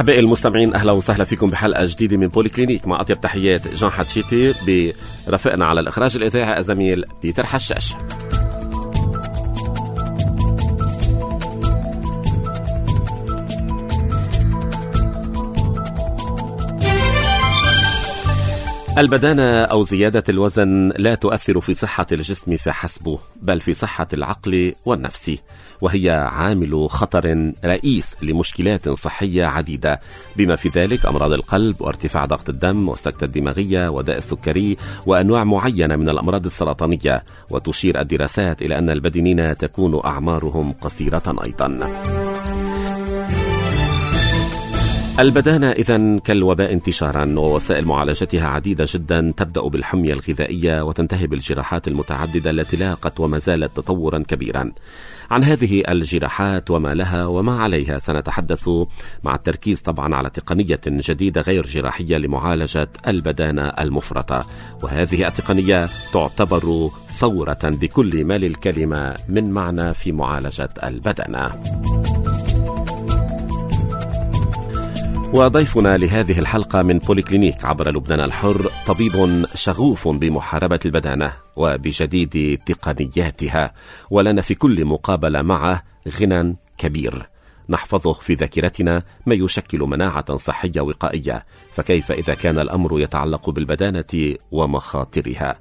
أحبائي المستمعين، أهلا وسهلا فيكم بحلقة جديدة من بوليكلينيك مع أطيب تحيات جان حتشيتي، برفقنا على الإخراج الإذاعي الزميل بيتر حشاش. البدانة أو زيادة الوزن لا تؤثر في صحة الجسم فحسب، بل في صحة العقل والنفس، وهي عامل خطر رئيس لمشكلات صحية عديدة، بما في ذلك أمراض القلب وارتفاع ضغط الدم والسكتة الدماغية وداء السكري وأنواع معينة من الأمراض السرطانية. وتشير الدراسات إلى أن البدنيين تكون أعمارهم قصيرة أيضا. البدانة إذن كالوباء انتشارا، ووسائل معالجتها عديدة جدا، تبدأ بالحمية الغذائية وتنتهي بالجراحات المتعددة التي لاقت وما زالت تطورا كبيرا. عن هذه الجراحات وما لها وما عليها سنتحدث، مع التركيز طبعا على تقنية جديدة غير جراحية لمعالجة البدانة المفرطة، وهذه التقنية تعتبر ثورة بكل ما للكلمة من معنى في معالجة البدانة. وضيفنا لهذه الحلقة من بوليكلينيك عبر لبنان الحر طبيب شغوف بمحاربة البدانة وبجديد تقنياتها، ولنا في كل مقابلة معه غنى كبير نحفظه في ذاكرتنا ما يشكل مناعة صحية وقائية، فكيف إذا كان الأمر يتعلق بالبدانة ومخاطرها؟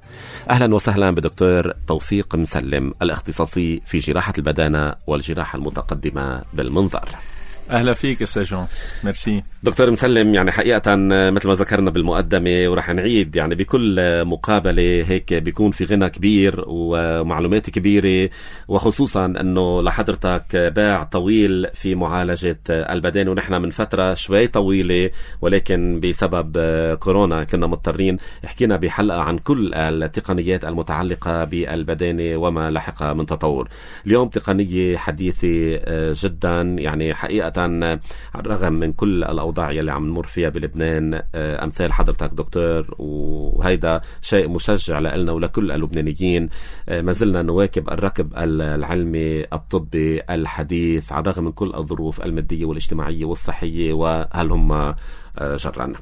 أهلا وسهلا بدكتور توفيق مسلم، الاختصاصي في جراحة البدانة والجراحة المتقدمة بالمنظر. أهلا فيك أستاذ جون، ميرسي. دكتور مسلم، يعني حقيقة مثل ما ذكرنا بالمقدمة ورح نعيد، يعني بكل مقابلة هيك بيكون في غنى كبير ومعلومات كبيرة، وخصوصا أنه لحضرتك باع طويل في معالجة البدانة، ونحن من فترة شوي طويلة ولكن بسبب كورونا كنا مضطرين حكينا بحلقة عن كل التقنيات المتعلقة بالبدانة وما لحق من تطور. اليوم تقنية حديثة جدا، يعني حقيقة على الرغم من كل الأوضاع اللي عم نمر فيها بلبنان أمثال حضرتك دكتور، وهيدا شيء مشجع لنا ولكل اللبنانيين. ما زلنا نواكب الركب العلمي الطبي الحديث على الرغم من كل الظروف المادية والاجتماعية والصحية، وهل هم جرا.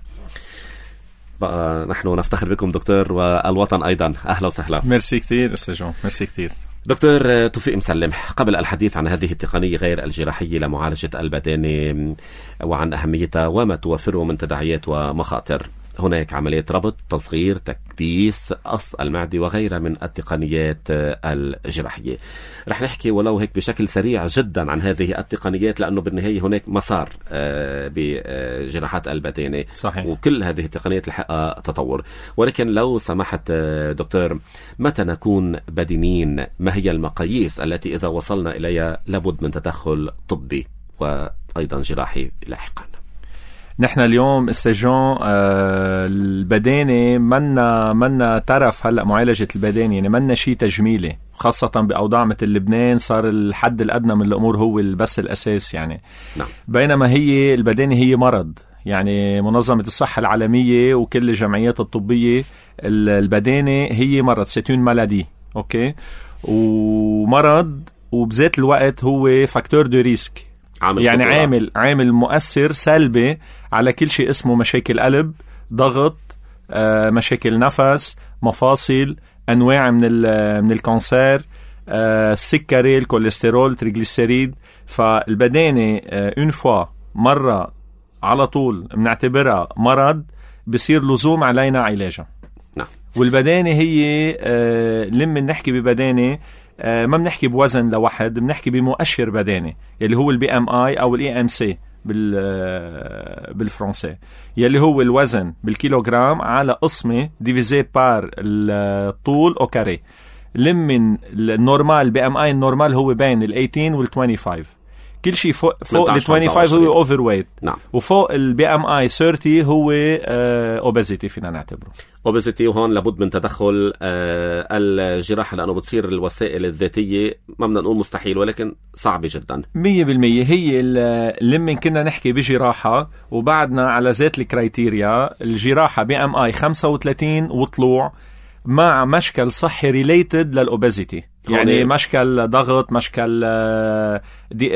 بقى نحن نفتخر بكم دكتور، والوطن أيضا. أهلا وسهلا. ميرسي كثير أستاذ جون، ميرسي كثير. دكتور توفيق مسلم، قبل الحديث عن هذه التقنية غير الجراحية لمعالجة البدانة وعن أهميتها وما توفره من تداعيات ومخاطر، هناك عملية ربط، تصغير، تكبيس، قص المعدة وغيرها من التقنيات الجراحية. رح نحكي ولو هيك بشكل سريع جدا عن هذه التقنيات، لأنه بالنهاية هناك مسار بجراحات البدانة. صحيح. وكل هذه التقنيات لحقها تطور، ولكن لو سمحت دكتور، متى نكون بدنيين؟ ما هي المقاييس التي إذا وصلنا إليها لابد من تدخل طبي وأيضا جراحي لاحقا؟ نحن اليوم استجون البدانة منا ترف هلأ معالجة البدانة، يعني منا شيء تجميلي، خاصة بأوضاع مثل لبنان صار الحد الأدنى من الأمور هو بس الأساس يعني. نعم. بينما هي البدانة هي مرض، يعني منظمة الصحة العالمية وكل الجمعيات الطبية البدانة هي مرض، سيتون مالادي، أوكي، ومرض وبذات الوقت هو فاكتور دو ريسك، يعني عامل مؤثر سلبي على كل شيء اسمه مشاكل قلب، ضغط، مشاكل نفس، مفاصل، أنواع من الكانسير، السكري، الكوليسترول، تريغليسيريد. فالبدانة اون فوا مرة على طول بنعتبرها مرض، بصير لزوم علينا علاجها. نعم. والبدانة هي لما نحكي ببدانة ما بنحكي بوزن لوحد، بنحكي بمؤشر بداني يلي هو البي ام اي او الاي ام سي بالفرنسي، يلي هو الوزن بالكيلوغرام على قسمة ديفيزي بار الطول او كاري. لمن النورمال بي ام اي النورمال هو بين ال 18 وال 25، كل شيء فوق ال 25 هو اوفر ويت. نعم. وفوق البي ام اي 30 هو اوبيزيتي، فينا نعتبره اوبيزيتي. وهون لابد من تدخل الجراحة، لأنه بتصير الوسائل الذاتية ما بدنا نقول مستحيل ولكن صعبة جدا 100%. هي لما كنا نحكي بجراحة وبعدنا على ذات الكرايتيريا، الجراحة بي ام اي 35 وطلوع مع مشكل صحي ريليتد للأوبيزيتي. يعني مشكل ضغط، مشكل ضيق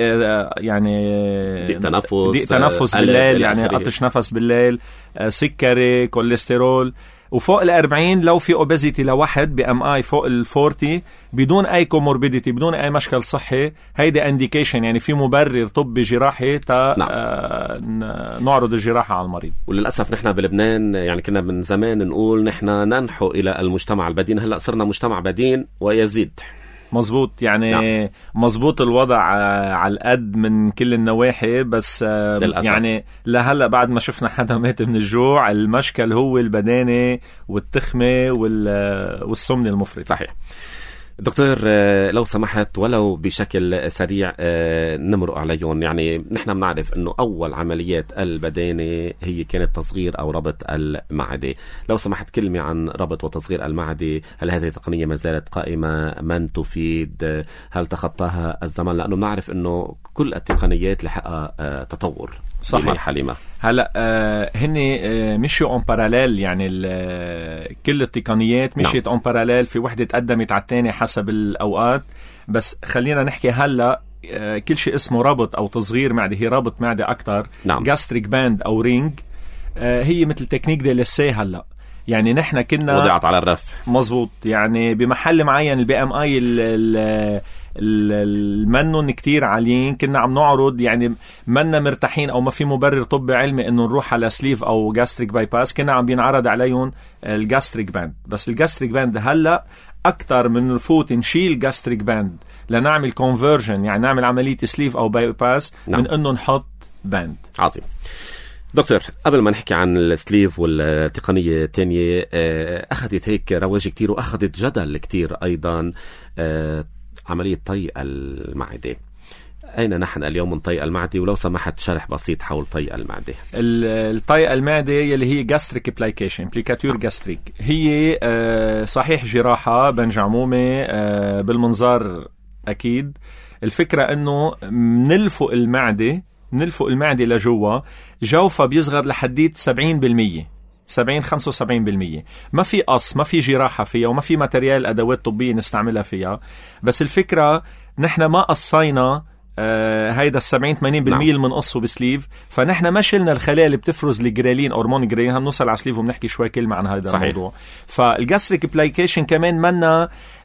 تنفس بالليل، يعني قطش نفس بالليل، سكري، كوليسترول. وفوق 40 لو في اوبيزيتي لواحد BMI فوق 40 بدون اي كوموربيديتي، بدون اي مشكل صحي، هيدا انديكيشن، يعني في مبرر طبي جراحي نعرض الجراحة على المريض. وللأسف نحن بلبنان يعني كنا من زمان نقول نحن ننحو إلى المجتمع البدين، هلأ صرنا مجتمع بدين ويزيد. مزبوط، يعني مزبوط الوضع على القد من كل النواحي، بس يعني لهلا بعد ما شفنا حدا مات من الجوع، المشكل هو البدانة والتخمة والسمنة المفرطة. صحيح. دكتور لو سمحت ولو بشكل سريع نمرق عليهم. يعني نحن بنعرف انه اول عمليات البدانة هي كانت تصغير او ربط المعدة. لو سمحت كلمة عن ربط وتصغير المعدة، هل هذه التقنية ما زالت قائمة؟ من تفيد؟ هل تخطاها الزمن؟ لانه بنعرف انه كل التقنيات لحقها تطور. صحيح حليمة. هلا هن مشيوا اون باراليل، يعني كل التقنيات مشيت اون باراليل، في وحدة تقدمت على الثانية حسب الاوقات. بس خلينا نحكي هلا كل شيء اسمه ربط او تصغير معدة هي ربط معدة اكتر. جاستريك باند او رينج هي مثل تكنيك دي لسي. هلا يعني نحن كنا وضعت على الرف. مزبوط، يعني بمحل معين BMI المنن كتير عاليين، كنا عم نعرض يعني منا مرتاحين او ما في مبرر طبي علمي انه نروح على سليف او جاستريك باي باس، كنا عم بينعرض عليهم الجاستريك باند. بس الجاستريك باند هلا اكتر من نفوت نشيل جاستريك باند لنعمل كونفرجن، يعني نعمل عملية سليف او باي باس من انه نحط باند. عظيم. دكتور قبل ما نحكي عن السليف والتقنية الثانية، أخذت هيك رواج كتير وأخذت جدل كتير أيضا عملية طي المعدة. أين نحن اليوم من طي المعدة؟ ولو سمحت شرح بسيط حول طي المعدة. الطي المعدة يلي هي جاستريك بلايكيشن، بليكاتور جاستريك، هي صحيح جراحة بنجعمومة بالمنظار أكيد. الفكرة أنه نلفق المعدة لجوا، جوفها بيصغر لحديت 70%، 70-75%. ما في قص، ما في جراحة فيها، وما في ماتريال أدوات طبية نستعملها فيها. بس الفكرة نحن ما قصينا هيدا 70-80% اللي منقصه بسليف، فنحن ما شلنا الخلايا اللي بتفرز الجريلين، هرمون جريلين. هنوصل على سليف وبنحكي شوي كلمة عن هذا الموضوع. فالجاستريك بلايكيشن كمان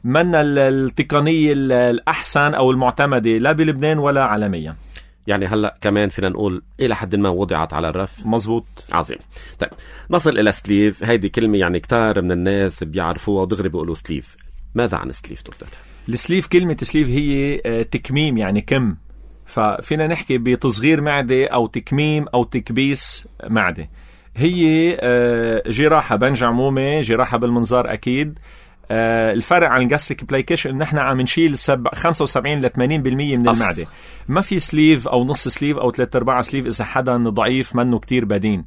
منا التقنية الأحسن أو المعتمدة لا بلبنان ولا عالميا. يعني هلأ كمان فينا نقول إلى حد ما وضعت على الرف. مزبوط. عظيم. طيب نصل إلى سليف. هيدي كلمة يعني كتار من الناس بيعرفوها ودغري بيقولوا سليف. ماذا عن سليف دكتور؟ السليف، كلمة سليف هي تكميم، يعني كم. ففينا نحكي بتصغير معدة أو تكميم أو تكبيس معدة. هي جراحة بنجعمومة، جراحة بالمنظار أكيد. الفرق عن الجاستريك بلايكيشن ان نحن عم نشيل 75-80% من المعدة. ما في سليف او نص سليف او 3/4 سليف اذا حدا ضعيف منه كتير بدين،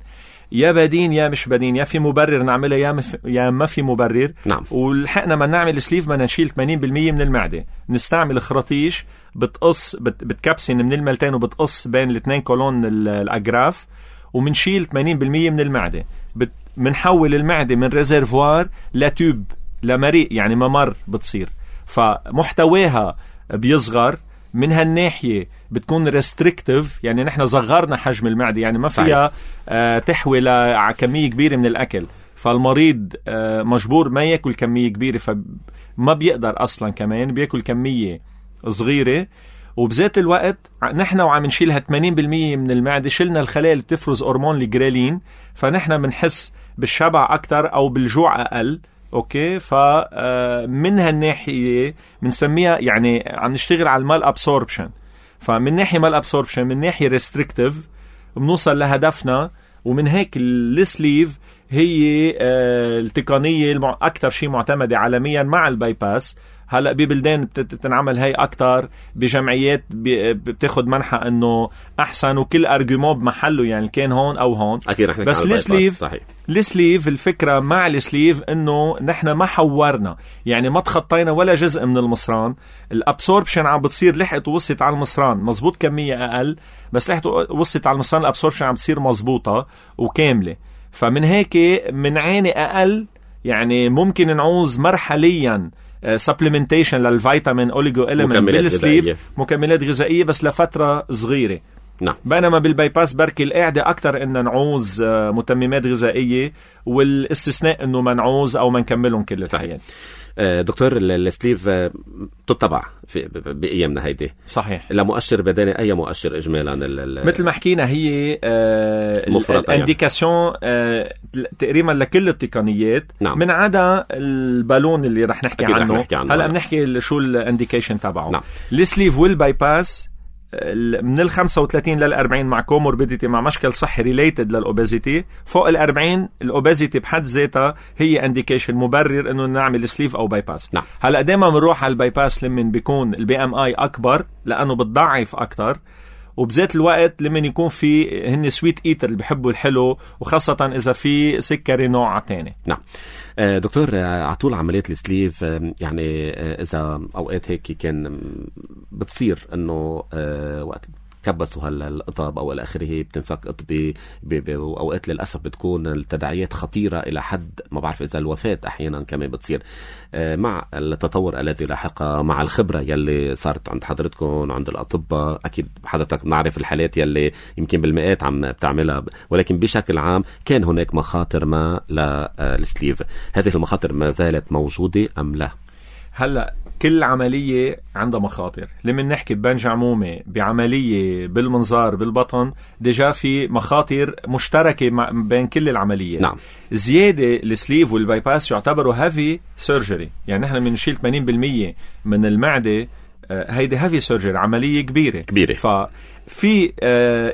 يا بدين يا مش بدين، يا في مبرر نعملها يا ما في مبرر. نعم. ولحقنا ما نعمل سليف بدنا نشيل 80% من المعدة. نستعمل خراطيش بتقص بتكبسن من الملتين وبتقص بين الاثنين كولون الاجراف، ومنشيل 80% من المعدة. منحول المعدة من ريزرفوار لتوب، لمريء، يعني ممر بتصير. فمحتواها بيصغر من هالناحية، بتكون ريستريكتيف، يعني نحن صغرنا حجم المعدة، يعني ما فيها تحوي على كمية كبيرة من الأكل. فالمريض مجبور ما يأكل كمية كبيرة، فما بيقدر أصلا، كمان بيأكل كمية صغيرة. وبذات الوقت نحن وعم نشيلها 80% من المعدة، شلنا الخلايا اللي بتفرز هرمون الجريلين، فنحن بنحس بالشبع أكتر أو بالجوع أقل. اوكي، فمن هالناحية بنسميها يعني عم نشتغل على المال ابسوربشن. فمن ناحية مال ابسوربشن، من ناحية ريستريكتيف، بنوصل لهدفنا. ومن هيك السليف هي التقنية أكتر شيء معتمدة عالميا مع الباي باس. هلأ ببلدان بتنعمل هاي أكتر، بجمعيات بتاخد منحة أنه أحسن، وكل أرجومون بمحله، يعني كان هون أو هون. بس السليف الفكرة مع السليف أنه نحن ما حورنا، يعني ما تخطينا ولا جزء من المصران. الابسوربشن عم بتصير لحقت ووصلت على المصران مزبوط، كمية أقل بس لحقت وصلت على المصران، الابسوربشن عم بتصير مزبوطة وكاملة. فمن هيك منعاني أقل، يعني ممكن نعوز مرحليا سبلمنتيشن للفيتامين اوليجو إليمنت بالسليف، مكملات غذائية بس لفترة صغيرة. نعم. بينما بالبايباس بركي القاعدة أكتر إن نعوز متممات غذائية، والاستثناء إنه ما نعوز أو ما نكملهم كل الحياة. دكتور السليف تتبع بأيامنا هيدي، صحيح، لمؤشر بدني أي مؤشر إجمالا مثل ما حكينا هي الانديكاسيون تقريبا لكل التقنيات. نعم. من عدا البالون اللي رح نحكي عنه هلأ بنحكي شو الانديكيشن تبعه. نعم. السليف والبايباس من 35 لل 40 مع كوموربيديتي، مع مشكل صحي ريليتد للأوبازيتي. فوق ال 40 الأوبازيتي بحد ذاتها هي انديكيشن مبرر انه نعمل سليف او بايباس. نعم. هلا دائما بنروح على البايباس لمن بيكون البي ام اي اكبر لانه بتضعف اكتر، وبذات الوقت لمن يكون في هن سويت ايتر اللي بيحبوا الحلو، وخاصة اذا في سكري نوع تاني. نعم. دكتور عطول عملية السليف يعني إذا أوقات هيك كان بتصير أنه وقت كبسوا هالقطب أو الآخره بتنفك قطبي، وأوقات للأسف بتكون التداعيات خطيرة إلى حد ما بعرف إذا الوفاة أحيانا كمان بتصير. مع التطور الذي لاحق مع الخبرة يلي صارت عند حضرتكم عند الأطباء، أكيد حضرتك بنعرف الحالات يلي يمكن بالمئات عم بتعملها، ولكن بشكل عام كان هناك مخاطر ما للسليف. هذه المخاطر ما زالت موجودة أم لا؟ هلأ كل عملية عندها مخاطر. لما نحكي ببنج عمومي بعملية بالمنظار بالبطن، ديجا في مخاطر مشتركة بين كل العمليات. نعم. زيادة السليف والبايباس يعتبروا هافي سيرجري، يعني نحن بنشيل 80% من المعدة، هيدي هافي سيرجري، عملية كبيرة. ففي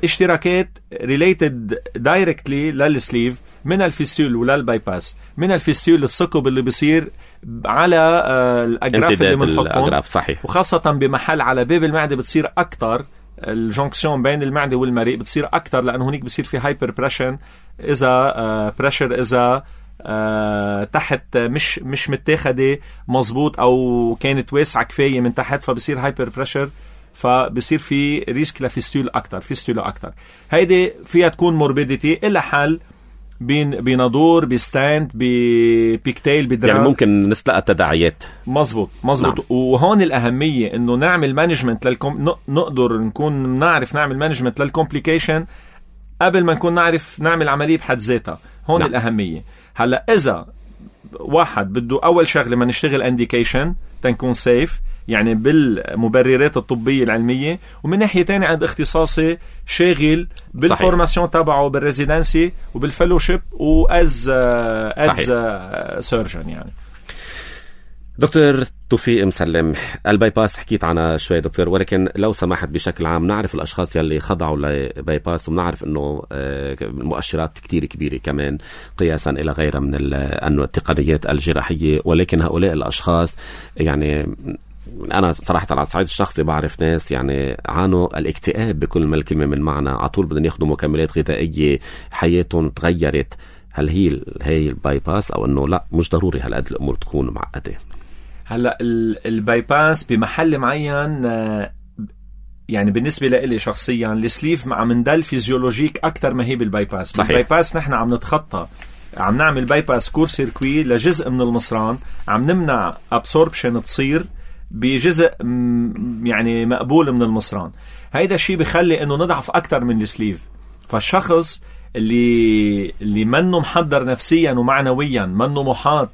اشتراكات ريليتد دايركتلي للسليف من الفيستول وللبايباس. من الفيستول الثقب اللي بيصير على الأجراف اللي بنحطهم، صحيح، وخاصة بمحل على باب المعدة بتصير أكتر، الجونكسيون بين المعدة والمريء بتصير أكتر، لأنه هناك بصير في هايبر بريشن. إذا بريشر إذا تحت مش متاخده مزبوط أو كانت واسعة كفاية من تحت، فبصير هايبر بريشر، فبصير في ريسك لفيستول أكتر، فيستولا أكتر. هيدي فيها تكون موربيديتي إلا حل بنادور بستاند ببيكتيل بدرام، يعني ممكن نستلقى تداعيات. مزبوط. نعم. وهون الأهمية إنه نعمل مانجمنت نقدر نكون نعرف نعمل مانجمنت للكومبليكيشن قبل ما نكون نعرف نعمل عملية بحد ذاتها. هون نعم. الأهمية. هلأ إذا واحد بده أول شغلة ما نشتغل انديكيشن تنكون سيف، يعني بالمبررات الطبية العلمية، ومن ناحية تانية عند اختصاصي شاغل بالفورماسيون تبعه بالريزيدنسي وبالفلوشيب وأز سيرجن. يعني دكتور توفيق مسلم، البايباس حكيت عنها شوي دكتور، ولكن لو سمحت بشكل عام نعرف الأشخاص يلي خضعوا لبايباس، وبنعرف أنه المؤشرات كتير كبيرة كمان قياسا إلى غيرها من التقنيات الجراحية، ولكن هؤلاء الأشخاص يعني أنا صراحة على الصعيد الشخصي بعرف ناس يعني عانوا الاكتئاب بكل ما الكلمة من معنى، عطول بدهم ياخدوا مكملات غذائية، حياتهم تغيرت. هل هي البايباس أو أنه لا مش ضروري هالقد الأمور تكون معقدة؟ هلأ البايباس بمحل معين، يعني بالنسبة لي شخصيا السليف مع مندل فيزيولوجيك أكتر ما هي بالبايباس. بالبايباس نحن عم نتخطى، عم نعمل بايباس كور سيركوي لجزء من المصران، عم نمنع أبسوربشن تصير بجزء يعني مقبول من المصران. هيدا الشيء بيخلي انه نضعف اكتر من السليف. فالشخص اللي منه محضر نفسيا ومعنويا، منه محاط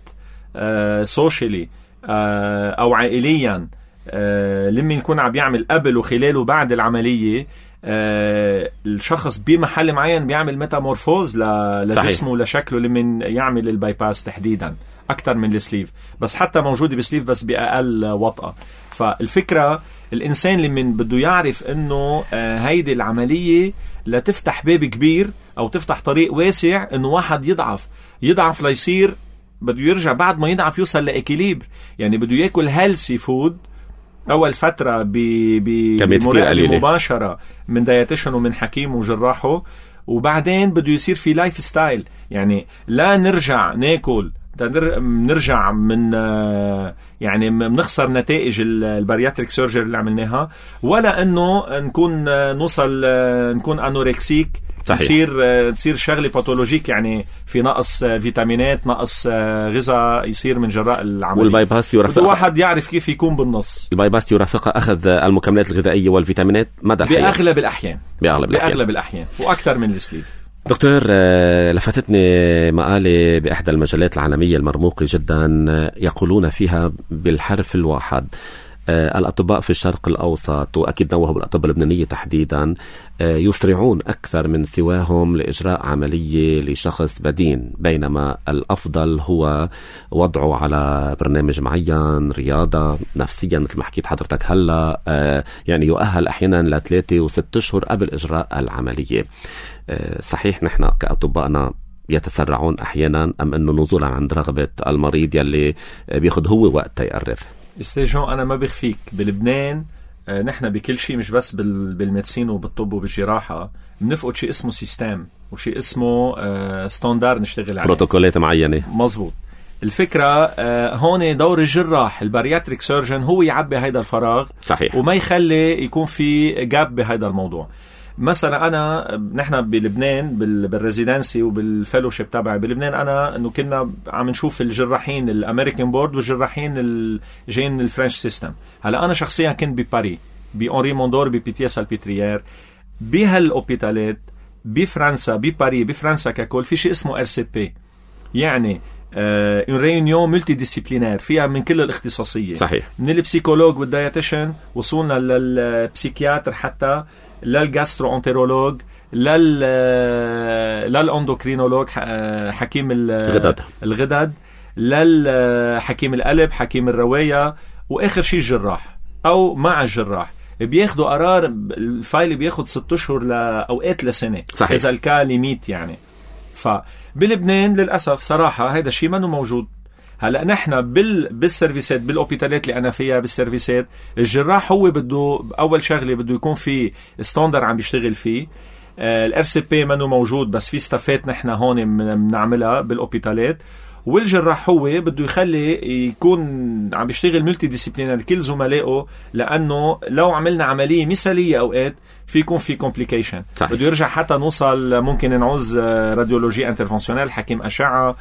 سوشيالي او عائليا، لما يكون عم يعمل قبل وخلال وبعد العملية، الشخص بمحل معين بيعمل ميتامورفوز لجسمه ولشكله لما يعمل البايباس تحديدا أكتر من السليف. بس حتى موجودة بسليف بس بأقل وطأة. فالفكرة الإنسان اللي من بده يعرف إنه هيدي العملية لتفتح باب كبير أو تفتح طريق واسع، إنه واحد يضعف ليصير بده يرجع بعد ما يضعف يوصل لإكيليبر. يعني بده يأكل هيلثي فود أول فترة بمراقبة مباشرة من دايتيشن ومن حكيم وجراحه، وبعدين بده يصير في لايف ستايل. يعني لا نرجع ناكل نرجع من يعني بنخسر نتائج البارياتريك سيرجري اللي عملناها، ولا انه نكون نوصل نكون انوركسيك تصير شغله باثولوجيك، يعني في نقص فيتامينات، نقص غذاء يصير من جراء العمليه. والبايباس يرافق الواحد يعرف كيف يكون بالنص. البايباس يرافق اخذ المكملات الغذائيه والفيتامينات مدى الحياه باغلب الاحيان واكثر من السليف. دكتور، لفتتني مقالة بإحدى المجلات العالمية المرموقة جدا يقولون فيها بالحرف الواحد الأطباء في الشرق الأوسط، وأكيد نوهوا بالأطباء اللبنانية تحديدا، يسرعون أكثر من سواهم لإجراء عملية لشخص بدين، بينما الأفضل هو وضعه على برنامج معين، رياضة نفسيا مثل ما حكيت حضرتك هلا، يعني يؤهل أحيانا ل3 و6 أشهر قبل إجراء العملية. صحيح نحن كأطبائنا يتسرعون أحيانا، أم أنه نزولا عند رغبة المريض يلي بياخد هو وقت يقرر؟ استيجون أنا ما بخفيك بلبنان نحن بكل شيء، مش بس بالميدسين وبالطب وبالجراحة، بنفقد شيء اسمه سيستم وشيء اسمه ستاندار نشتغل عليه، بروتوكولات معينة. مزبوط. الفكرة هون دور الجراح البارياتريك سيرجن هو يعبي هيدا الفراغ. صحيح. وما يخلي يكون في جاب بهيدا الموضوع. مثلا نحن بلبنان بالريزيدنسي وبالفيلوشيب تبعي بلبنان، انه كنا عم نشوف الجراحين الامريكان بورد والجراحين جايين الفرنش سيستم. هلا انا شخصيا كنت بباري بأونري موندور ببيتيه سالبيتريير، بهالاوبيتالات بفرنسا بباري بفرنسا ككل في شيء اسمه RCP، يعني une réunion multidisciplinaire فيها من كل الاختصاصية. صحيح. من البسيكولوج والدايتيشن وصلنا للبسيكياتر حتى للجاسترو انترولوج للاندوكرينولوج حكيم الغدد للحكيم القلب حكيم الرواية، واخر شيء الجراح او مع الجراح بياخدوا قرار. الفايل بياخد 6 أشهر اوقات لسنة. صحيح. اذا الكاليميت يعني. فبلبنان للأسف صراحة هيدا الشيء ما موجود. هلا نحن بالسيرفيسات بالاوبيتالات اللي انا فيها بالسيرفيسات، الجراح هو بده اول شغله بده يكون في ستاندر عم بيشتغل فيه. الRCP منه موجود، بس في ستافات نحن هون بنعملها بالاوبيتالات، والجراح هو بده يخلي يكون عم بيشتغل ملتي ديسيبلينر كل زملائه، لانه لو عملنا عمليه مثاليه اوقات في يكون في كومبليكيشن. بده يرجع حتى نوصل ممكن نعوز راديولوجي انترفنسيونيل، حكيم اشعه،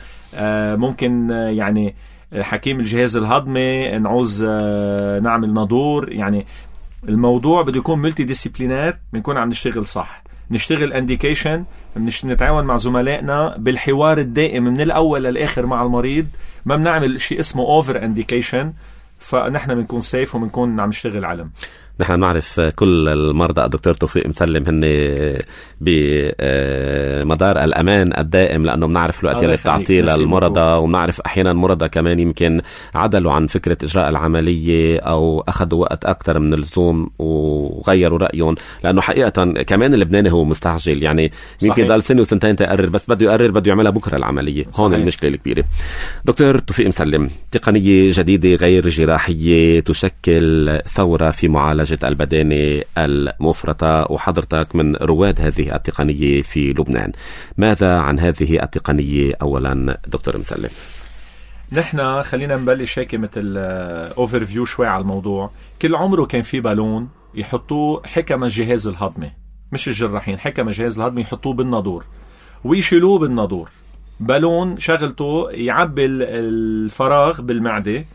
ممكن يعني حكيم الجهاز الهضمي، نعوز نعمل نادور. يعني الموضوع بده يكون ملتي ديسيبلينر، بنكون عم نشتغل صح، نشتغل انديكيشن، نتعاون مع زملائنا بالحوار الدائم من الاول للاخر مع المريض، ما بنعمل شيء اسمه اوفر انديكيشن، فنحن بنكون سيف وبنكون عم نشتغل علم. نحن نعرف كل المرضى دكتور توفيق مسلم هن بمدار الأمان الدائم، لأنه بنعرف الوقت اللي بتعطيه للمرضى، وبنعرف أحيانا مرضى كمان يمكن عدلوا عن فكرة إجراء العملية أو أخذوا وقت أكتر من اللزوم وغيروا رأيهم، لأنه حقيقة كمان اللبناني هو مستعجل، يعني يمكن ضل سنة وسنتين تقرر، بس بده يقرر بده يعملها بكرة العملية. صحيح. هون المشكلة الكبيرة. دكتور توفيق مسلم، تقنية جديدة غير جراحية تشكل ثورة في معالجة البدانة المفرطة، وحضرتك من رواد هذه التقنية في لبنان. ماذا عن هذه التقنية أولا دكتور مسلم؟ نحن خلينا نبلش هيك مثل اوفر فيو شوي على الموضوع. كل عمره كان في بالون يحطوه حكم الجهاز الهضمي، مش الجراحين، حكم الجهاز الهضمي يحطوه بالنادور ويشيلوه بالنادور. بالون شغلته يعبي الفراغ بالمعدة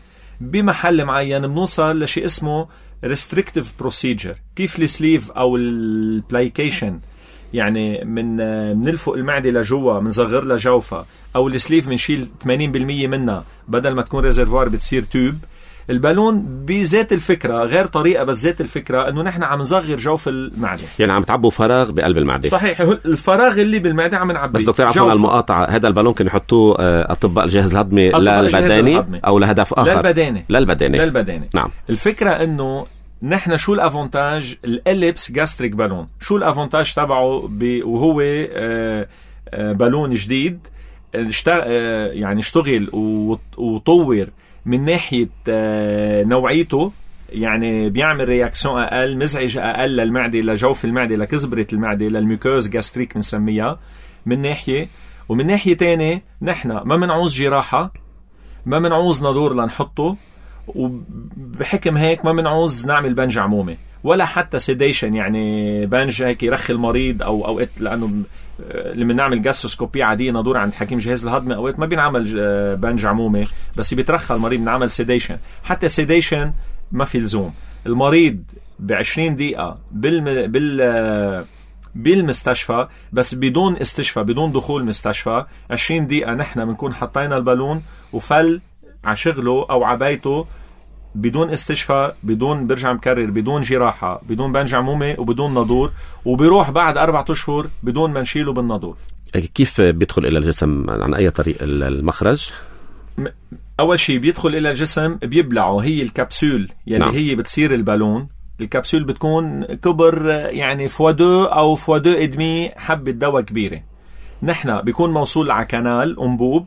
بمحل معين، بنوصل لشيء اسمه restrictive procedure. كيف السليف او البلايكيشن، يعني منلفق المعدة لجوا، منصغر لها جوفة، او السليف منشيل 80% منها بدل ما تكون ريزرفوار بتصير تيوب. البالون بذات الفكرة، غير طريقة بس ذات الفكرة، انه نحن عم نصغر جوف المعدة، يعني عم تعبوا فراغ بقلب المعدة. صحيح، الفراغ اللي بالمعدة عم نعبي. بس دكتور عفوا المقاطعة، هذا البالون كانوا يحطوه أطباء الجهاز الهضمي للبداني أو لهدف آخر؟ للبداني. نعم. الفكرة انه نحن شو الافونتاج الاليبس جاستريك بالون، شو الافونتاج تبعه وهو بالون جديد يعني اشتغل وطور من ناحية نوعيته، يعني بيعمل رياكسيون أقل، مزعج أقل للمعدة، لجوف المعدة، لكزبرة المعدة، للميكوز جاستريك بنسميها من ناحية. ومن ناحية تانية نحن ما منعوز جراحة، ما منعوز نادور لنحطه، وبحكم هيك ما منعوز نعمل بنج عمومي، ولا حتى سيديشن، يعني بنج هيك يرخي المريض، أو أوقات لأنه لما نعمل جاستروسكوبية عادية ندور عند حكيم جهاز الهضمي أوقات ما بينعمل بنج عمومي، بس بيترخى المريض بنعمل سيديشن. حتى سيديشن ما في لزوم. المريض ب20 دقيقة بالمستشفى، بس بدون استشفاء، بدون دخول مستشفى. 20 دقيقة نحن بنكون حطينا البالون وفل عشغله أو عبايته بدون استشفاء، بدون، برجع مكرر، بدون جراحة، بدون بنج عمومي وبدون نادور، وبيروح بعد 4 أشهر بدون ما نشيله بالنادور. كيف بيدخل إلى الجسم؟ عن أي طريق المخرج؟ أول شيء بيدخل إلى الجسم بيبلعه، هي الكبسول يلي نعم. هي بتصير البالون. الكبسول بتكون كبر يعني فوادو أو فوادو إدمي، حبة دواء كبيرة. نحن بيكون موصول على كانال أنبوب،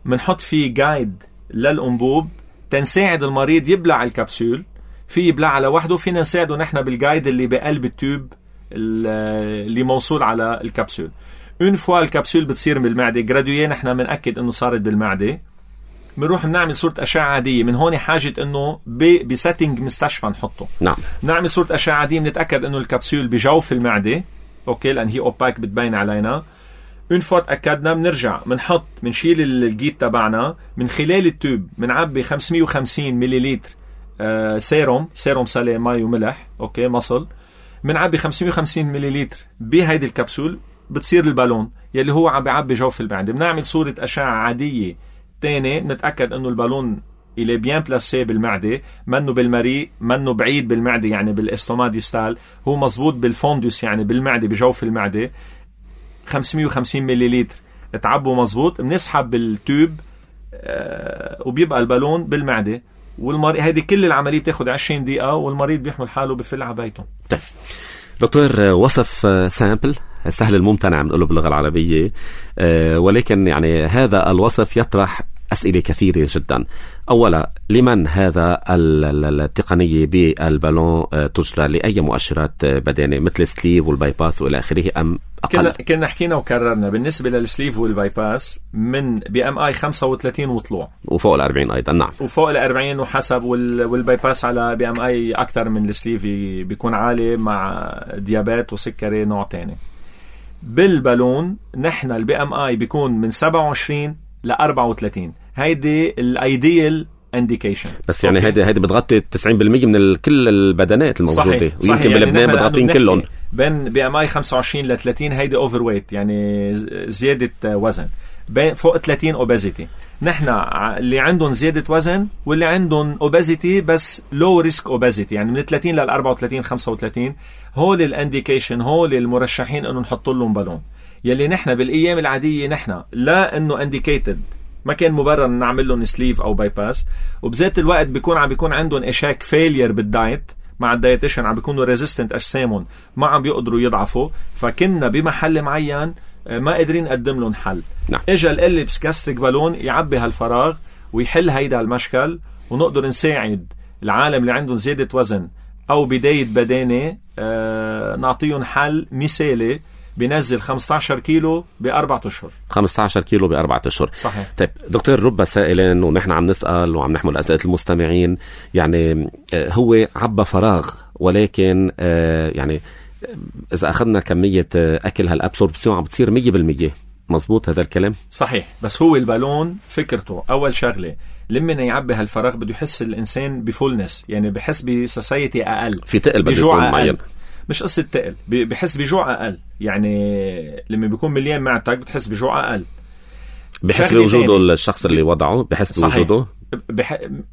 منحط فيه جايد للأنبوب تنساعد المريض يبلع الكبسول. في يبلع لوحده، فينا نساعده نحن بالجايد اللي بقلب التوب اللي موصول على الكبسول. اون فوا الكبسول بتصير بالمعدة جرادوية، نحن منأكد انه صارت بالمعدة، بنروح بنعمل صورة أشعة عادية. من هون حاجة انه بسيتنج مستشفى نحطه. نعم. نعمل صورة أشعة عادية، بنتأكد انه الكبسول بجوف المعدة، اوكي، لان هي اوباك بتبين علينا. اون فوا تأكدنا بنرجع بنشيل الجيت تبعنا من خلال التوب، بنعبي 550 مليلتر سيروم سالي، ماء وملح، اوكي، مصل. بنعبي 550 مليلتر بهيدي الكبسول، بتصير البالون يلي هو عم بيعبي جوف المعدة. بنعمل صورة أشعة عادية تاني، نتأكد انه البالون إلي بيان بلاسي بالمعدة، منه بالمريء، منه بعيد بالمعدة يعني بالاستوما ديستال، هو مزبوط بالفوندوس يعني بالمعدة، بجوف المعدة. 550 مليلتر تعبوا مزبوط، بنسحب بالتوب وبيبقى البالون بالمعدة. والمريض هيدي كل العملية بتاخد 20 دقيقة، والمريض بيحمل حاله بفل عبايته. طيب دكتور، وصف سامبل سهل الممتنع بنقوله باللغة العربية، ولكن يعني هذا الوصف يطرح أسئلة كثيرة جدا. أولا، لمن هذا التقنية بالبالون تجرى؟ لأي مؤشرات بدنية مثل السليف والبايباس وإلى آخره أم أقل؟ كنا حكينا وكررنا بالنسبة للسليف والبايباس من BMI 35 وطلوع، وفوق 40 أيضا. نعم، وفوق 40 وحسب. والبايباس على BMI أكثر من السليف بيكون عالي مع ديابات وسكري نوع تاني. بالبالون نحن BMI بيكون من 27 ل 34. هيدي الايديال انديكيشن. بس يعني هيدي بتغطي 90% من كل البدنات الموجوده. صحيح. ويمكن يعني بلبنان بتغطين كلهم. بين BMI 25 ل 30 هيدي اوفر ويت، يعني زياده وزن. بين فوق 30 اوبيزيتي. نحن اللي عندهم زياده وزن واللي عندهم اوبيزيتي بس لو ريسك اوبيزيتي، يعني من 30 ل 34 35، هول الانديكيشن، هول المرشحين انه نحط لهم بالون. يلي نحن بالايام العاديه نحن لا انه انديكيتد، ما كان مبرر نعمل لهم سليف او بايباس. وبذات الوقت بيكون عندهم اشاك فيلير بالدايت مع الدايتيشن، عم بيكونوا ريزيستنت اجسامهم، ما عم بيقدروا يضعفوا. فكنا بمحل معين ما قادرين نقدم لهم حل. نعم. اجى الاليبس جاستريك بالون يعبي هالفراغ ويحل هيدا المشكل، ونقدر نساعد العالم اللي عندهم زيادة وزن او بداية بدانة، نعطيهم حل مثالي بينزل 15 كيلو ب4 أشهر. 15 كيلو ب4 أشهر. صحيح. طيب دكتور، رب سائلين ونحن عم نسأل وعم نحمل أسئلة المستمعين، يعني هو عبى فراغ، ولكن يعني إذا أخذنا كمية أكل هالأبسوربسيون عم بتصير 100%. مزبوط هذا الكلام؟ صحيح. بس هو البالون فكرته أول شغلة لما يعبي هالفراغ بده يحس الإنسان بفولنس، يعني بحس بسوسايتي أقل، في تقل بجوع معين. مش قصة تقل، بحس بجوع أقل. يعني لما بيكون مليان معدتك بتحس بجوع أقل. بحس بوجوده الشخص اللي وضعه، بحس بوجوده.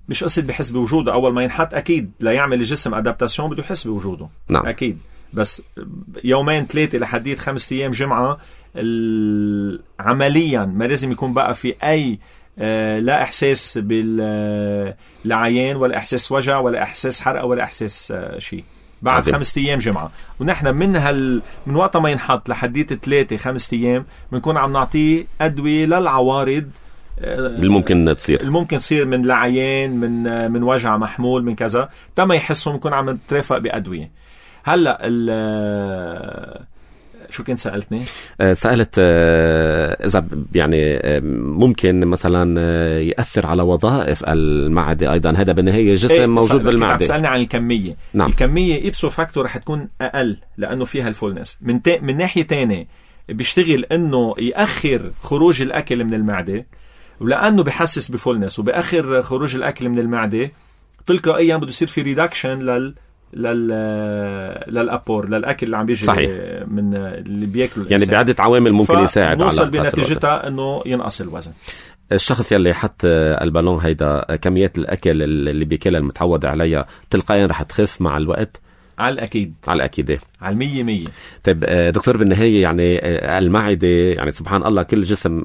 مش قصة بحس بوجوده، أول ما ينحط أكيد لا يعمل الجسم أدابتاسيون بده يحس بوجوده. نعم. أكيد. بس يومين 3 لحديت 5 أيام جمعة عمليا ما لازم يكون بقى في أي لا إحساس بالعيان ولا إحساس وجع ولا إحساس حرقة ولا إحساس شيء بعد 5 أيام جمعة. ونحن من وقت ما ينحط لحديت 3-5 أيام بنكون عم نعطيه أدوية للعوارض الممكن تصير من العيان، من وجع محمول، من كذا، تما يحسهم نكون عم نترافق بأدوية. هلا شو كنت سألتني؟ سألت إذا يعني ممكن مثلا يأثر على وظائف المعدة أيضا. هذا بالنهاية جسم موجود بالمعدة. تسألني عن الكمية. نعم. الكمية إبسو فاكتو رح تكون أقل لأنه فيها الفولنس. من ناحية تانية بيشتغل إنه يأخر خروج الأكل من المعدة، ولأنه بحسس بفولنس وبأخر خروج الأكل من المعدة تلقائيا بده يصير في ريدكشن للأبور للأكل اللي عم بيجي من اللي بياكلوا يعني بعدة عوامل ممكن يساعد على نوصل بنتيجتها إنه ينقص الوزن. الشخص يلي حط البالون هيدا كميات الأكل اللي بياكلها المتعود عليها تلقائيا رح تخف مع الوقت؟ على الأكيد. على الأكيد. على 100%. طيب دكتور بالنهاية يعني المعدة يعني سبحان الله كل جسم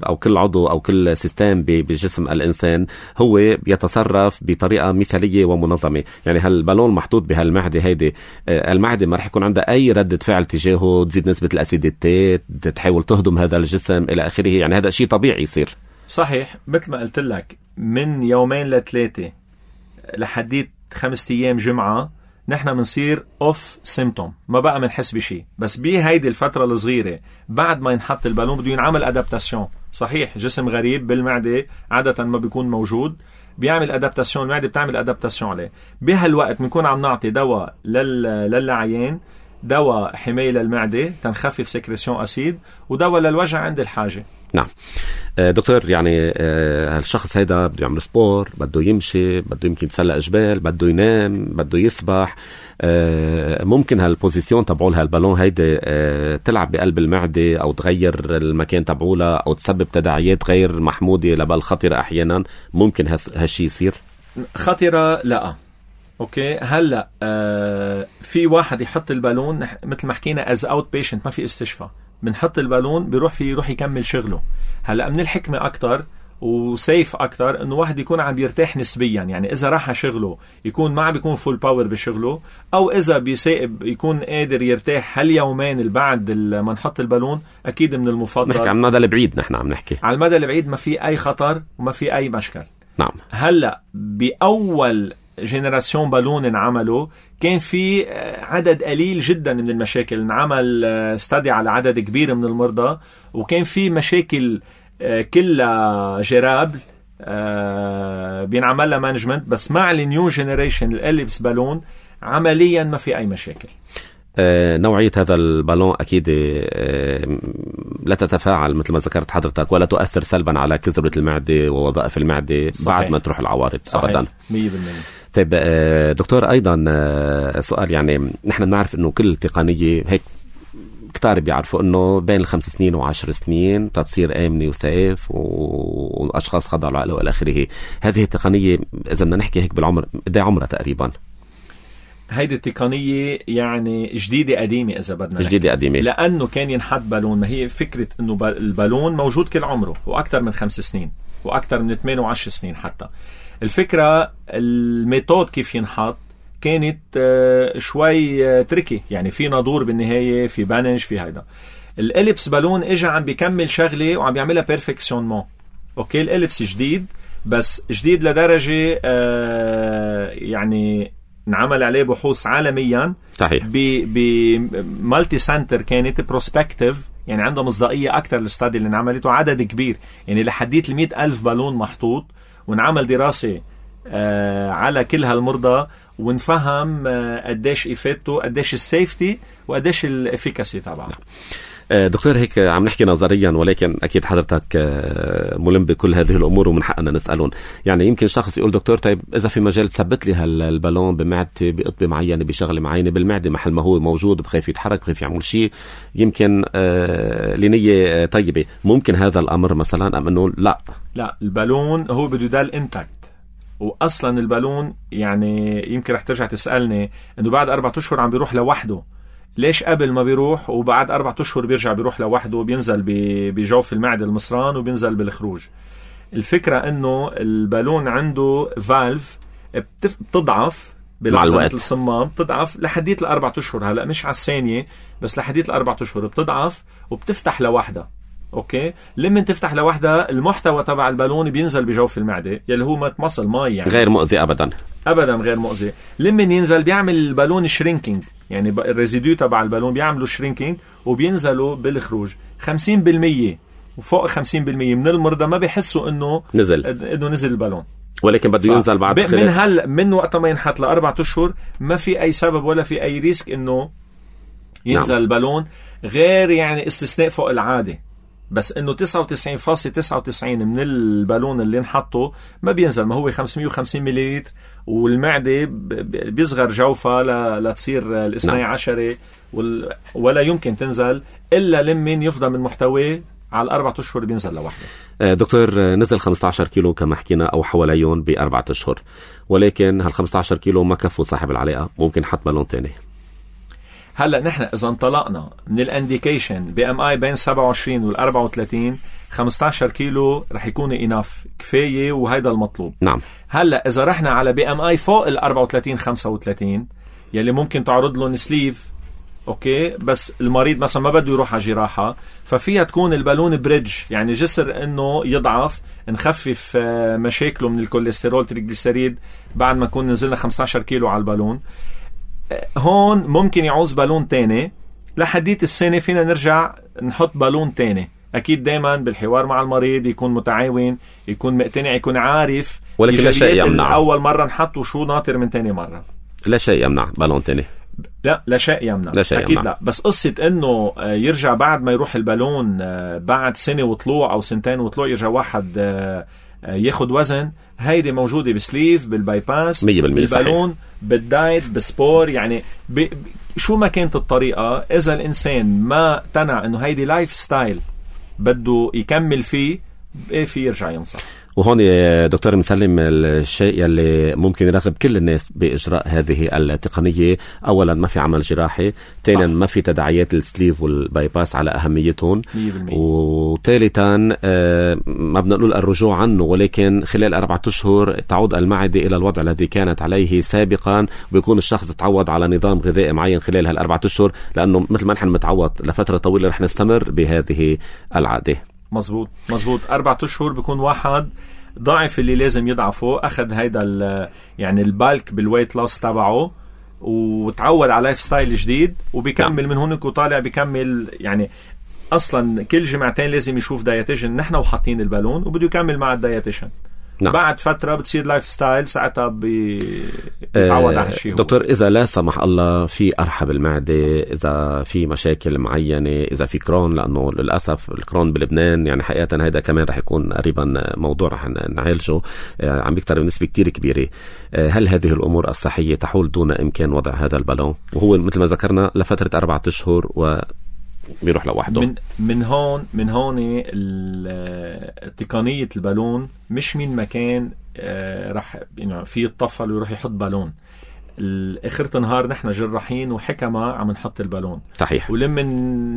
أو كل عضو أو كل سيستم بجسم الإنسان هو يتصرف بطريقة مثالية ومنظمة. يعني هالبالون محطوط بهالمعدة هيدي، المعدة ما رح يكون عندها أي ردة فعل تجاهه، تزيد نسبة الأسيديتات، تحاول تهضم هذا الجسم إلى آخره. يعني هذا شيء طبيعي يصير. صحيح. مثل ما قلت لك من 2-3 لحديت 5 أيام جمعة نحن منصير اوف سيمتوم، ما بقى منحس بشيء. بس بهيدي الفترة الصغيرة بعد ما ينحط البالون بده ينعمل ادابتاسيون. صحيح جسم غريب بالمعدة عادة ما بيكون موجود، بيعمل ادابتاسيون، المعدة بتعمل ادابتاسيون عليه. بهالوقت بنكون عم نعطي دواء للعيان، دواء حماية للمعدة تنخفف سكريسيون أسيد، ودواء للوجع عند الحاجة. نعم دكتور، يعني هالشخص هيدا بده يعمل سبور، بده يمشي، بده يمكن يتسلق جبال، بده ينام، بده يسبح، ممكن هالبوزيسيون تبعولها البالون هيدا تلعب بقلب المعدة أو تغير المكان تبعولها أو تسبب تداعيات غير محمودة لبال خطرة أحيانا. ممكن هالشي يصير؟ خطرة لا. اوكي هلا في واحد يحط البالون مثل ما حكينا از اوت بيشنت، ما في استشفاء، بنحط البالون بيروح يروح يكمل شغله. هلا من الحكمه اكتر وسيف اكتر انه واحد يكون عم يرتاح نسبيا. يعني اذا راح شغله يكون ما عم بيكون فول باور بشغله، او اذا بيسائب يكون قادر يرتاح هاليومين اللي بعد ما نحط البالون. اكيد من المفضل نحكي عن المدى البعيد. نحن عم نحكي على المدى البعيد ما في اي خطر وما في اي مشكل. نعم. هلا باول جينيراسيون بالون انعملوا كان في عدد قليل جدا من المشاكل. انعمل استدي على عدد كبير من المرضى، وكان في مشاكل كلها جرابل بينعمل لها مانجمنت. بس مع النيو جينيريشن الاليبس بالون عمليا ما في اي مشاكل. نوعية هذا البالون أكيد لا تتفاعل مثل ما ذكرت حضرتك، ولا تؤثر سلبا على كسرة المعدة ووظائف المعدة. صحيح. بعد ما تروح العوارض. صحيح. أبدا 100%. طيب دكتور أيضا سؤال، يعني نحن بنعرف أنه كل تقنية هيك كتار بيعرفوا أنه بين 5 سنين و10 سنين تصير آمنة وسيف وأشخاص خضعوا العقل وإلى آخره. هذه التقنية إذا بدنا نحكي هيك بالعمر قد عمرها تقريبا؟ هيدي التقنية يعني جديدة قديمة إذا بدنا جديدة قديمة، لأنه كان ينحط بالون. ما هي فكرة أنه البالون موجود كل عمره وأكثر من 5 سنين وأكثر من 8 و10 سنين حتى. الفكرة الميثود كيف ينحط كانت شوي تركي. يعني في نادور بالنهاية، في بانج، في هيدا. الإليبس بالون إجا عم بيكمل شغلة وعم بيعملها بيرفكسيونمون. أوكي الإليبس جديد، بس جديد لدرجة يعني نعمل عليه بحوث عالميا. صحيح. بمالتي سنتر كانت بروسبكتيف، يعني عنده مصداقية أكتر للستادي اللي نعملته. عدد كبير يعني لحديت 100,000 بالون محطوط، ونعمل دراسة على كل هالمرضى ونفهم قديش إفادته، قديش السيفتي، وقديش الإفيكاسي تبعه. دكتور هيك عم نحكي نظريا، ولكن أكيد حضرتك ملم بكل هذه الأمور ومن حقنا نسألون. يعني يمكن شخص يقول دكتور طيب إذا في مجال تثبت لي هالبالون بمعدتي بقطبة معينة بشغلة معينة بالمعدة محل ما هو موجود، بخاف يتحرك، بخاف يعمل شيء يمكن لنية طيبة، ممكن هذا الأمر مثلا أم أنه لا البالون هو بده يضل انتاكت. وأصلا البالون يعني يمكن رح ترجع تسألني أنه بعد 4 أشهر عم بيروح لوحده، ليش قبل ما بيروح وبعد 4 أشهر بيرجع بيروح لوحده وبينزل بجوف المعدة المصران وبينزل بالخروج؟ الفكرة انه البالون عنده فالف بتضعف بلحظة الصمام، بتضعف لحديت 4 أشهر. هلأ مش على الثانية، بس لحديت 4 أشهر بتضعف وبتفتح لوحدها. اوكي لما تفتح لوحدها المحتوى تبع البالون بينزل بجوف المعدة يلي هو مصل ماء، يعني غير مؤذي ابدا. ابدا غير مؤذي. لما ينزل بيعمل البالون شرينكينج، يعني الريزيديو تبع البالون بيعملوا شرينكينج وبينزلوا بالخروج. 50% وفوق 50% من المرضى ما بيحسوا انه نزل البالون، ولكن بده ينزل بعد من وقت ما ينحط ل4 أشهر ما في اي سبب ولا في اي ريسك انه ينزل نعم. البالون، غير يعني استثناء فوق العاده، بس انه 99.99 من البالون اللي نحطه ما بينزل. ما هو 550 مليلتر، والمعده بيصغر جوفها لتصير الاثني عشرة، ولا يمكن تنزل الا لمن يفضى من محتواه على 4 أشهر بينزل لوحده. دكتور، نزل 15 كيلو كما حكينا او حواليهم ب4 أشهر، ولكن هال 15 كيلو ما كفوا صاحب العلاقه، ممكن حط بالون تاني. هلا نحن اذا انطلقنا من الانديكيشن بي ام اي بين 27 وال34، 15 كيلو رح يكون اناف كفايه، وهيدا المطلوب. نعم. هلا اذا رحنا على بي ام اي فوق ال34 35 يلي ممكن تعرض له سليف، اوكي، بس المريض مثلا ما بده يروح على جراحه، ففيها تكون البالون بريدج، يعني جسر انه يضعف، نخفف مشاكله من الكوليسترول تريجليسيريد بعد ما نكون نزلنا 15 كيلو على البالون. هون ممكن يعوز بالون تاني لحديت السنة، فينا نرجع نحط بالون تاني. أكيد دايما بالحوار مع المريض يكون متعاون، يكون مقتنع، يكون عارف، ولكن لا شيء يمنع أول مرة نحط وشو ناطر من تاني مرة. لا شيء يمنع بالون تاني، لا شيء يمنع، أكيد يمنع. لا، بس قصة إنه يرجع بعد ما يروح البالون بعد سنة وطلوع أو سنتين وطلوع يرجع واحد ياخد وزن، هيدي موجودة بسليف، بالبايباس، بالبالون، بالدايت، بالسبور، يعني شو ما كانت الطريقة. إذا الإنسان ما تنع إنه هيدي لايف ستايل بده يكمل فيه، في يرجع ينصح. وهون دكتور مسلم، الشيء يلي ممكن يرغب كل الناس بإجراء هذه التقنية، أولا ما في عمل جراحي، ثانيا ما في تداعيات السليف والبايباس على أهميتهم، وثالثا ما بدنا نقول الرجوع عنه، ولكن خلال 4 أشهر تعود المعدة إلى الوضع الذي كانت عليه سابقا، ويكون الشخص تعود على نظام غذائي معين خلال هال4 أشهر، لأنه مثل ما نحن متعود لفترة طويلة رح نستمر بهذه العادة. مزبوط 4 أشهر بيكون واحد ضعف اللي لازم يضعفه، أخذ هيدا يعني البالك بالويت لوس تبعه، وتعود على لايف ستايل جديد، وبيكمل من هونك وطالع بيكمل. يعني أصلا كل جمعتين لازم يشوف دايتيشن نحن وحاطين البالون، وبده يكمل مع الدايتيشن. نعم. بعد فترة بتصير لايف ستايل، ساعتها بيتعود على هالشيء. دكتور، إذا لا سمح الله في أرحب المعدة، إذا في مشاكل معينة، إذا في كرون، لأنه للأسف الكرون بلبنان يعني حقيقة هيدا كمان رح يكون قريبا موضوع رح نعالجه، عم بيكتر بنسبة كتير كبيرة. هل هذه الأمور الصحية تحول دون إمكان وضع هذا البالون، وهو مثل ما ذكرنا لفترة 4 أشهر بيروح لوحده؟ من هون تقنية البالون مش من مكان رح في يتطفل ويروح يحط بالون. اخر نهار نحن جراحين وحكمة عم نحط البالون، صحيح. ولما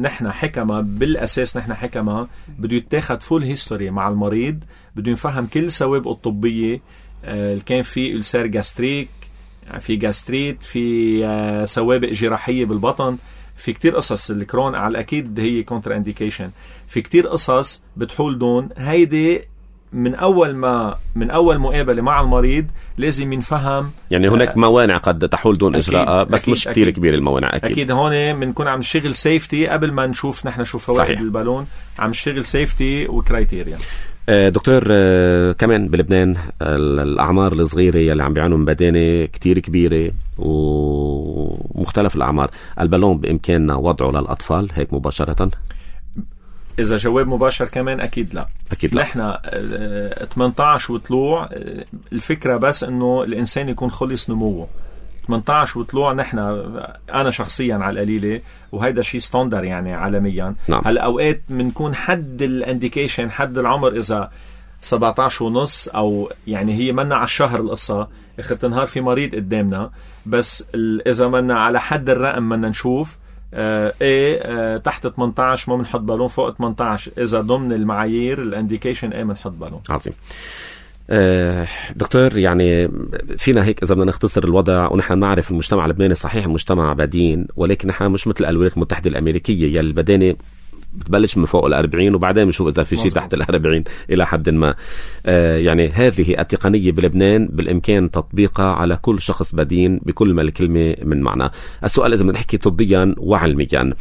نحن حكمة بالأساس، نحن حكمة بده يتاخد فول هيستوري مع المريض، بده يفهم كل سوابقه الطبية. كان في ألسير جاستريك، في جاستريت، في سوابق جراحية بالبطن، في كتير قصص. الكرون على الأكيد هي كونتر انديكيشن، في كتير قصص بتحول دون هيدي. من أول مقابلة مع المريض لازم ينفهم، يعني هناك موانع قد تحول دون إجراء، بس أكيد مش كتير كبير الموانع. أكيد هون بنكون عم نشتغل سيفتي قبل ما نشوف نحن شو فوائد البالون، عم نشتغل سيفتي وكرايتيريا. دكتور، كمان بلبنان الأعمار الصغيرة يلي عم بيعانوا من بدانة كتير كبيرة ومختلف الأعمار، البالون بإمكاننا وضعه للأطفال هيك مباشرة؟ إذا جواب مباشر كمان أكيد لا. نحن 18 وطلوع الفكرة بس إنه الإنسان يكون خلص نموه. 18 وطلوع نحن، أنا شخصيا على القليلة، وهيدا شيء ستاندر يعني عالميا. نعم. هلا أوقات بنكون حد الانديكيشن، حد العمر إذا 17 ونص، أو يعني هي منا على الشهر القصة. آخر النهار في مريض قدامنا، بس إذا منا على حد الرقم منا نشوف تحت 18 ما بنحط بالون، فوق 18 إذا ضمن المعايير الانديكيشن بنحط بالون. عظيم. دكتور، يعني فينا هيك إذا بدنا نختصر الوضع، ونحن نعرف المجتمع اللبناني صحيح مجتمع بدين، ولكن نحن مش مثل الولايات المتحدة الأمريكية يلي البدانة بتبلش من فوق 40 وبعدين بنشوف إذا في شيء تحت 40 إلى حد ما. يعني هذه التقنية بلبنان بالإمكان تطبيقها على كل شخص بدين بكل ما الكلمة من معنى. السؤال إذا بنحكي طبيا وعلميا،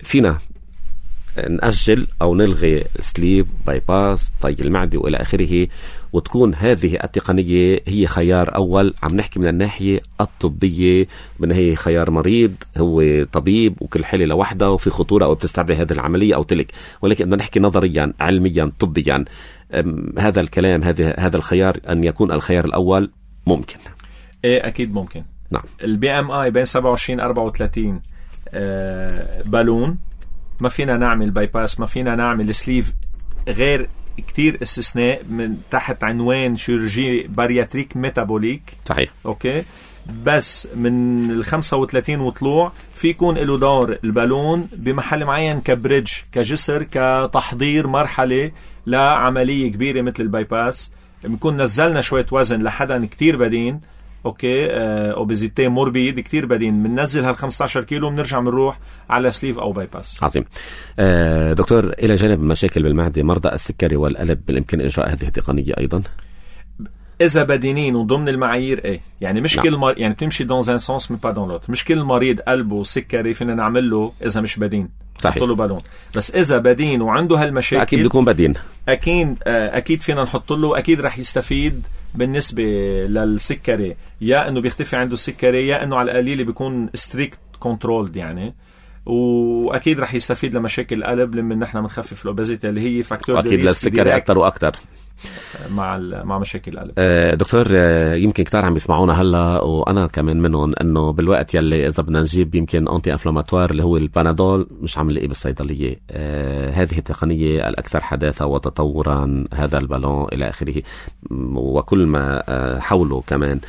فينا نأجل أو نلغي السليف باي باس طي المعدة وإلى آخره، وتكون هذه التقنية هي خيار أول؟ عم نحكي من الناحية الطبية، من هي خيار مريض هو طبيب وكل حالة لوحده وفي خطورة أو بتستدعي هذه العملية أو تلك، ولكن بدنا نحكي نظريا علميا طبيا هذا الكلام هذا الخيار أن يكون الخيار الأول ممكن؟ إيه أكيد ممكن. نعم. البي ام اي بين 27-34 بالون، ما فينا نعمل باي باس، ما فينا نعمل سليف غير كتير استثناء من تحت عنوان شيرورجي بارياتريك ميتابوليك. صحيح. اوكي، بس من 35 وطلوع في يكون له دور البالون بمحل معين كبريدج، كجسر، كتحضير مرحلة لعملية كبيرة مثل الباي باس. بنكون نزلنا شوية وزن لحدا كتير بدين، اوكي، اوبيزيتي موربيد كتير بدين، بننزل هال 15 كيلو بنرجع بنروح على سليف او باي باس. عظيم. دكتور، الى جانب مشاكل بالمعده، مرضى السكري والقلب بالامكان اجراء هذه التقنيه ايضا اذا بدينين وضمن المعايير. ايه يعني مش كل يعني بتمشي دون ان سونس مي با دون لوت. مش كل مريض قلبه سكري فينا نعمل له اذا مش بدين نحط له بالون، بس اذا بدين وعنده هالمشاكل اكيد بيكون بدين. اكيد فينا نحط له، اكيد رح يستفيد بالنسبة للسكري، يا انه بيختفي عنده السكري، يا انه على القليل بيكون ستريكت كنترولد يعني، واكيد رح يستفيد لمشاكل القلب لما نحن بنخفف الاوبيزيتي اللي هي فاكتور اكيد للسكري اكثر واكثر مع مشاكل القلب. دكتور، يمكن كتار عم يسمعونا هلا وانا كمان منهم، انه بالوقت يلي اذا بدنا نجيب يمكن انتي انفلاماتوار اللي هو البانادول مش عم نلاقيه بالصيدليه. هذه التقنيه الاكثر حداثه وتطورا، هذا البالون الى اخره، وكل ما حوله كمان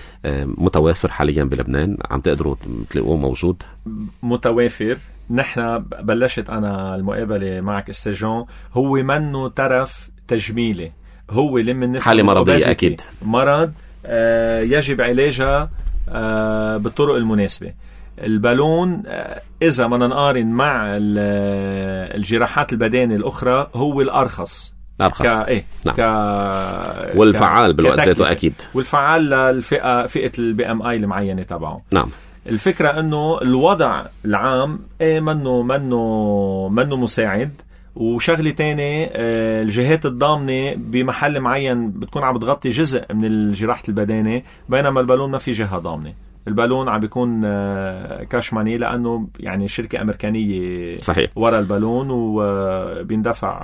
متوافر حاليا بلبنان، عم تقدروا تلاقوه موجود متوافر. نحن بلشت انا المقابله معك استاذ، هو منه ترف تجميلي، هو لمن حالة مرضية أكيد، مرض يجب علاجها بالطرق المناسبة. البالون إذا ما نقارن مع الجراحات البدانية الأخرى هو الأرخص. نعم. والفعال بالوقت ذاته أكيد، والفعال للفئة البي ام اي المعينة تبعه. نعم. الفكرة انه الوضع العام منه مساعد. وشغلة تانية، الجهات الضامنة بمحل معين بتكون عم بتغطي جزء من الجراحة البدانة، بينما البالون ما في جهة ضامنة. البالون عم بيكون كاش ماني، لأنه يعني شركة أمريكانية صحيح ورا البالون، وبيندفع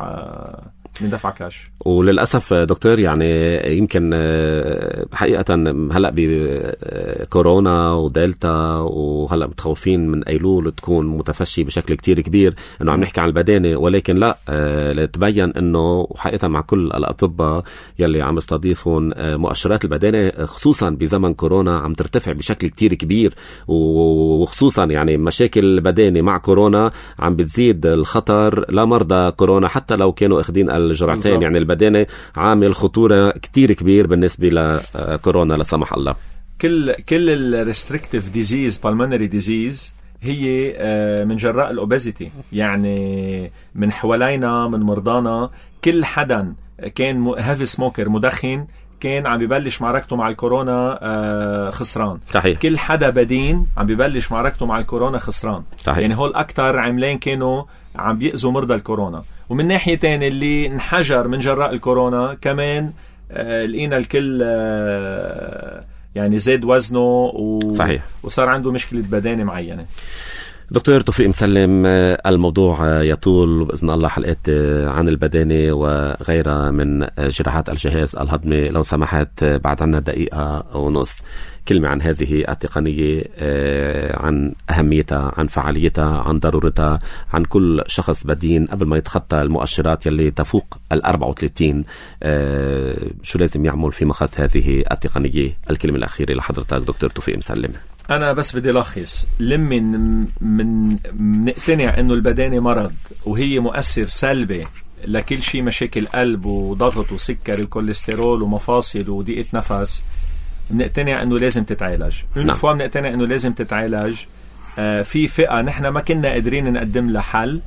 كاش. وللأسف دكتور يعني يمكن حقيقة هلأ بكورونا ودلتا، وهلأ متخوفين من أيلول تكون متفشي بشكل كتير كبير، أنه عم نحكي عن البدانة، ولكن لا، لتبين أنه حقيقة مع كل الأطباء يلي عم يستضيفون مؤشرات البدانة خصوصا بزمن كورونا عم ترتفع بشكل كتير كبير، وخصوصا يعني مشاكل البدانة مع كورونا عم بتزيد الخطر لمرضى كورونا حتى لو كانوا اخدين الجرعتين. يعني البدانة عامل خطورة كتير كبير بالنسبة لكورونا لا سمح الله. كل الريستريكتيف ديزيز، بالمونري ديزيز، هي من جراء الأوبيزيتي. يعني من حوالينا، من مرضانا، كل حدا كان هافي سموكر، مدخن، كان عم بيبلش معركته مع الكورونا خسران. صحيح. كل حدا بدين عم بيبلش معركته مع الكورونا خسران. صحيح. يعني هول أكتر عملين كانوا عم بيأذوا مرضى الكورونا. ومن ناحية تانية اللي انحجر من جراء الكورونا كمان لقينا الكل يعني زاد وزنه صحيح. وصار عنده مشكلة بدانة معينة. دكتور توفيق مسلم، الموضوع يطول بإذن الله حلقات عن البدانة وغيرها من جراحات الجهاز الهضمي. لو سمحت بعد عنا دقيقة ونص، كلمة عن هذه التقنية، عن أهميتها، عن فعاليتها، عن ضرورتها، عن كل شخص بدين قبل ما يتخطى المؤشرات يلي تفوق 34، شو لازم يعمل في مخاض هذه التقنية. الكلمة الأخيرة لحضرتك دكتور توفيق مسلم. أنا بس بدي لخص، من نقتنع إنه البدانة مرض وهي مؤثر سلبي لكل شيء، مشاكل قلب وضغط وسكر الكوليسترول ومفاصل وضيقة نفس، نقتنع إنه لازم تتعالج. فوا نقتنع إنه لازم تتعالج. في فئة نحن ما كنا قادرين نقدم لها حل،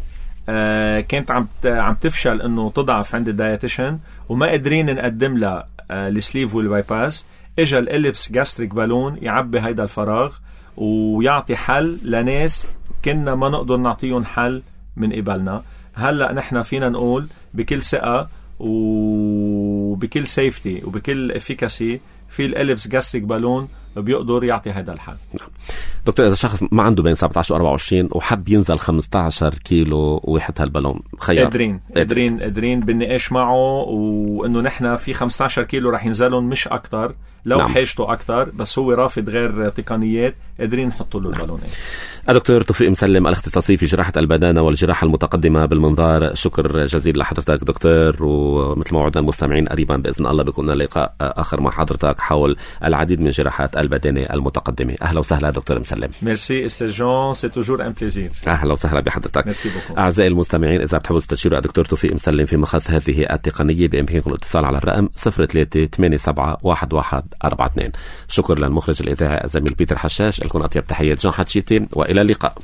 كانت عم تفشل انه تضعف عند الدايتيشن وما قادرين نقدم لها السليف والبايباس. اجا الاليبس جاستريك بالون يعبي هيدا الفراغ ويعطي حل لناس كنا ما نقدر نعطيهم حل من قبلنا. هلأ نحن فينا نقول بكل ثقة وبكل سيفتي وبكل افيكاسي في الاليبس جاستريك بالون بيقدر يعطي هذا الحل. دكتور إذا شخص ما عنده بين 17 و 24 وحب ينزل 15 كيلو ويحط هالبالون خيار، قادرين بالنقاش معه وإنه نحن في 15 كيلو رح ينزلون مش أكتر لو نعم. حاجته أكتر بس هو رافض غير تقنيات قادرين نحطوا له البالونات. دكتور توفيق مسلم الاختصاصي في جراحة البدانة والجراحة المتقدمة بالمنظار، شكر جزيل لحضرتك دكتور، ومثل ما وعدنا المستمعين قريبا بإذن الله بيكون لقاء آخر مع حضرتك حول العديد من جراحات البدانة المتقدمة. أهلا وسهلا دكتور مسلم. ميرسي استاذ، سي توجور ان بليزير. أهلا وسهلا بحضرتك. ميرسي بوكو. أعزائي المستمعين إذا بتحبوا تستشيروا الدكتور توفيق مسلم في مخاض هذه التقنية بإمكانكم الاتصال على الرقم 03-87-1142. شكر للمخرج الإذاعي الزميل بيتر حشاش. لكم أطيب تحية جون حتشيتي وإلى اللقاء.